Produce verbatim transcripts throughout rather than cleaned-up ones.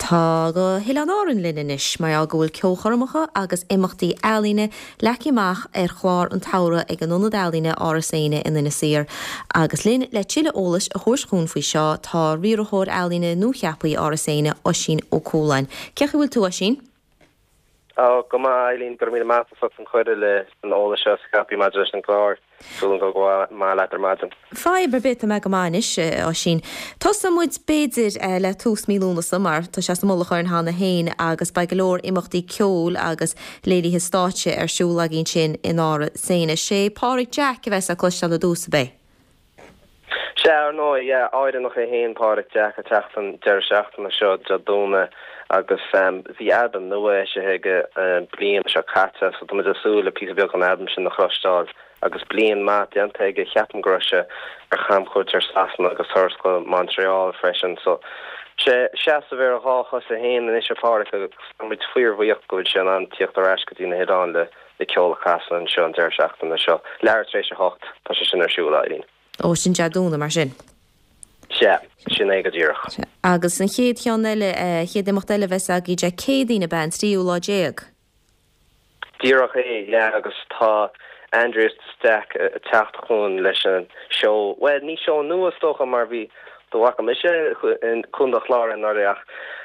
Tá go hOileáin Árann linn anois mar go bhfuil ceolchoirmeacha agus imeachtaí ealaíne leagtha amach ar chlár an tsamhraidh ag an Ionad Ealaíne Áras Éanna in Inis Oírr. Agus linn le tuilleadh eolais a thabhairt chugainn faoi seo tá riarthóir ealaíne nuacheaptha Áras Éanna Oisín Ó Cualáin. Cén chaoi a bhfuil tú Oisín? Ó go maith Eileen go raibh míle maith as an chuireadh le an eolas seo a scaipeadh maidir leis an gclár súil go maith leat ar maidin. Fadhb ar bith mé go maith anois Oisín. Tosóidh muid b'fhéidir le tús mí Lúnasa mar tá sé sa mullach orainn cheana féin agus beidh go leor imeachtaí ceoil agus léirithe stáitse ar siúl againn sin in Áras Éanna. Sé Pádraig Jack a bheas le cloisteáil ar dtús ab é. Sé ar ndóigh Éireannach é féin Pádraig Jack ag teacht an deireadh seachtaine seo Dé Domhnaigh agus bhí albam nua eisithe aige an bliain seo caite so tá muid ag súil le píosa beag an albam sin a chloisteáil agus bliain maith déanta aige ceapaim go raibh sé ar chamchuairt ar Sasana agus turas go Montreal freisin so sé seasamh ar a dhá chosa féin anois a Phádraig agus muid fíorbhuíoch go bhfuil sé in ann tíocht ar ais go dtí na hoileáin le le ceol a chasadh anseo an deireadh seachtaine seo. Leathuair tar éis a hocht tá sé sin ar siúl Eileen. Ó sin Dé Domhnaigh mar sin. Sé sin é go díreach. Agus an chéad cheann eile chéad imeacht eile bheas againn Dé Céadaoin ab ea an tríú lá déag. Díreach é le agus tá Aindrias de Staic teacht chugainn leis an seó well ní seó nua is dócha mar bhí do bhaca mise chun chlár an ach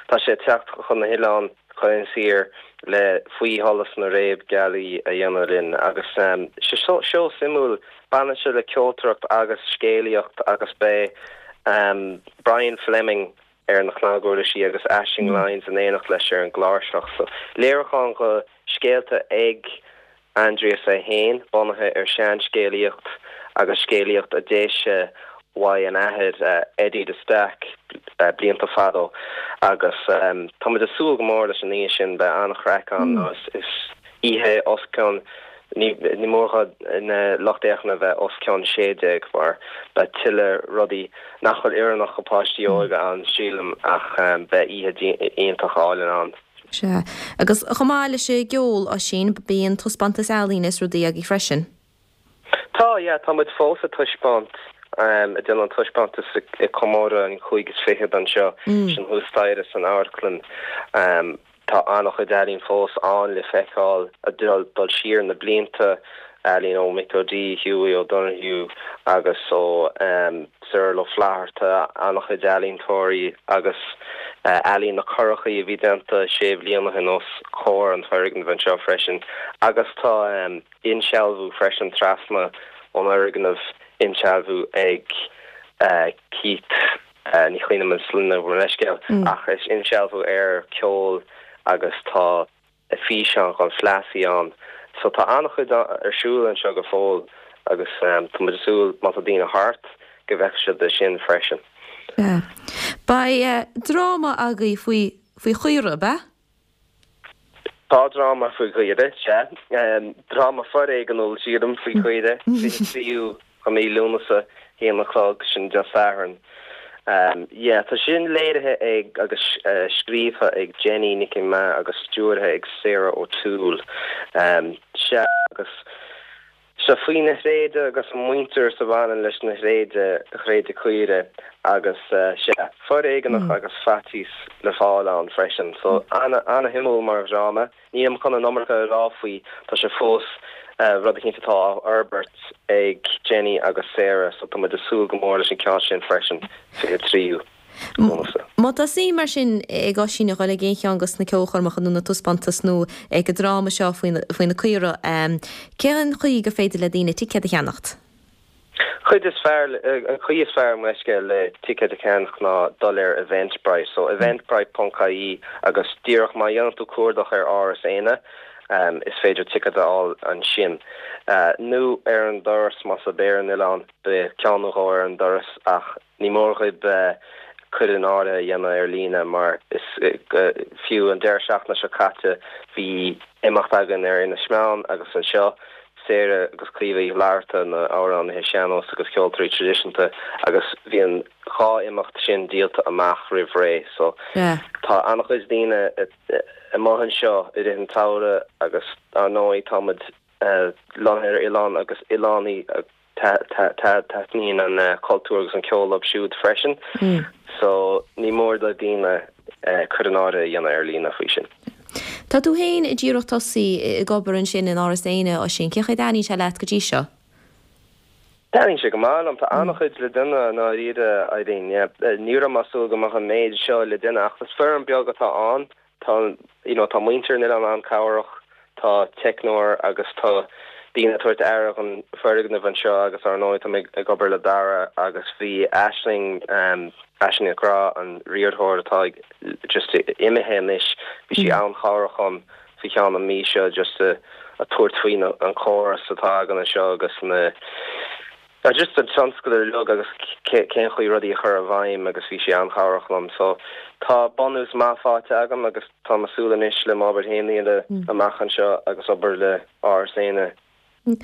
tá sé teacht chun na hoileán chun siar le faoi sholas na réabghealaí a dhéanamh linn agus um, sé seó suimiúil baineann sé le ceoltóireacht agus scéalaíocht agus beidh um, Brian Fleming ar na cnaguirlisí agus Aisling mm. Lyons in éineacht leis ar an gcláirseach so léiriúchán go scéalta ag Aindrias é féin bunaithe ar seanscéalaíocht agus scéalaíocht a d'éist uaidh an athair uh, Eddie de Staic uh, blianta fadó agus um, tá muid ag súil go mór leis an oíche sin beidh an-chraic ann mm. is oíche os cionn ní ní mór na lucht féachana bheith os cionn sé déag mar beidh tuilleadh rudaí nach bhfuil oiriúnach do pháistí óga ann sílim ach um, beidh oíche iontach álainn ann. Sé agus chomh maith leis an gceol Oisín bíonn taispeántas ealaíne is rudaí agaibh freisin. Tá yeah, tá muid fós ag taispeáint um, ag déanamh an taispeántas i comóradh an chúig is fiche anseo mm. sin thuas staighre san amharclann um, tá an-chuid ealaín fós ann le feiceáil a dul dul siar na blianta ealaín ó Mick O'Dea Hughie O'Donoghue agus ó um, Cyril Ó Flatharta an-chuid ealaíontóirí agus uh, ealaín na curachaí a bhí déanta sé bliana ó shin os comhair an fhoirgnimh anseo freisin agus tá um, insealbhú freisin trasna ón fhoirgneamh insealbhú ag uh, Keith uh, ní chuimhním an sloinne leiscéal mm. ach is insealbhú ar ceol agus tá físeán chun fleasaí ann so tá an-chuid ar siúl anseo go fóill agus um, tá muid ag súil má tá daoine thart go bhfeicfidh siad sin freisin. Yeah. Beidh uh, dráma agaibh faoi faoi chaora ab ea? Tá dráma faoi chaora sé um, dráma foréigiúil sílim faoi chaora tríú de mhí Lúnasa haon a chlog sin Dé Sathairn. Um, yeah, tá sin léirithe ag agus uh, scríofa ag Jenny Nic Ma agus stiúrtha ag Sarah O'Toole. Um, sé agus se faoi na thréada agus an muintir a bhaineann leis na thréada thréada caora agus uh, sé foréigeanach mm. agus faitíos le fáil ann freisin, so mm. an-shuimiúil mar dhráma. Nílim chun an iomarca a rá faoi tá sé fós uh, rud éicint atá á fhorbairt ag Jenny agus Sarah so tá muid ag súil go mór leis an ceann sin freisin fiche tríú. Má tá suim mar sin ag Oisín a dhul ag aon cheann de na ceolchoirmeacha nó na taispeántais nó ag an dráma seo faoi na caora cén chaoi gur féidir le daoine ticéad a cheannacht. Chuid is fearr an chaoi is fearr meisce le ticéad a cheannach ná dul ar Eventbrite, so eventbrite.ie agus díreach má dhéanann tú cuardach ar Áras Éanna, um, is féidir ticéad a fháil ansin. Uh, nó ar an doras más ar an oileán beidh ceann ar an doras ach ní mór daoibh uh, cur in áirithe a dhéanamh ar líne mar is uh, fiú an deireadh seachtaine seo caite bhí imeacht againn ar Inis Meáin agus anseo Sarah agus Caoimhe Uí Fhlatharta na hamhránaithe sean-nós agus ceoltóirí traidisiúnta agus bhí an dhá imeacht sin díolta amach roimh ré so yeah. tá an-chuid daoine amuigh anseo i rith an tsamhraidh agus ar ndóigh táimid uh, lonnaithe ar oileán agus oileánaigh taitníonn an uh, cultúr agus an ceol leo siúd freisin. Mm. So ní mór do daoine cur in áirithe a dhéanamh ar líne faoi sin. Tá tú féin díreach tosaithe ag obair ansin in Áras Éanna Oisín, cén chaoi a dtaitníonn sé leat go dtí seo? Taitníonn sé go maith liom, tá an-chuid le déanamh i ndáiríre, Eileen, yeah. Ní raibh mé ag súil go mbeadh an méid seo le déanamh ach is foireann beag atá ann, tá you know tá muintir an oileáin an-chabhrach, tá teicneoir agus tá daoine ag tabhairt aire don foirgneamh anseo agus ar ndóigh tá mé ag obair le Dara agus bhí Aisling um, Aisling Nic Graith an riarthóir atá just imithe anois, bhí sí an-chabhrach dhom faoi cheann an mí seo just a, a tabhairt faoi an córas atá againn anseo agus na just an tionscadal uilig agus cén chaoi rudaí a chur i bhfeidhm agus bhí sí an-chabhrach liom. So tá bunús maith faighte agam agus tá mé ag súil anois le m'obair féin a dhéanamh amach anseo agus obair le Áras Éanna.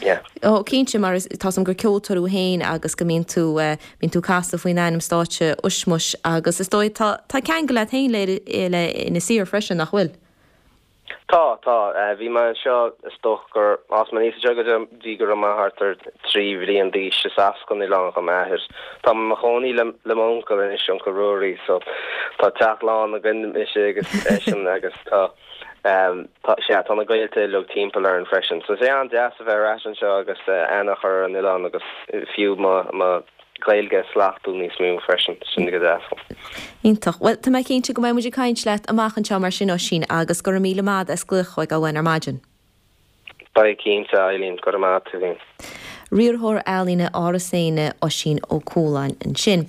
Yeah. Ó cinnte mar tá a fhios agam gur ceoltóir thú féin agus go mbíonn tú bíonn tú ag casadh faoin ainm stáitse Ushmush agus is dóigh tá tá ceangal agat féin le le Inis Oírr freisin nach bhfuil. Tá tá bhí mé anseo is dócha gur fhás mé aníos anseo go dtí go raibh mé thart ar trí bhliain d'aois is as an oileán do m'athair. Tá mé i mo chónaí le le m'uncail anois uncail Ruairí so tá teach lán againn mise agus eisean agus tá um, tá sé tá na gaolta uilig timpeall orainn freisin. So sé an-deas a bheith ar ais anseo agus uh, aithne a chur ar an oileán agus fiú mo mo Gaeilge slachtú níos mó freisin sin go deas. Iontach. Well tá mé cinnte go mbeidh muid ag caint leat amach anseo mar sin Oisín agus go raibh míle maith as glaoch chugainn ar maidin. Beidh cinnte Eileen go raibh maith agat. Riarthóir ealaíne Áras Éanna Oisín Ó Cualáin ansin.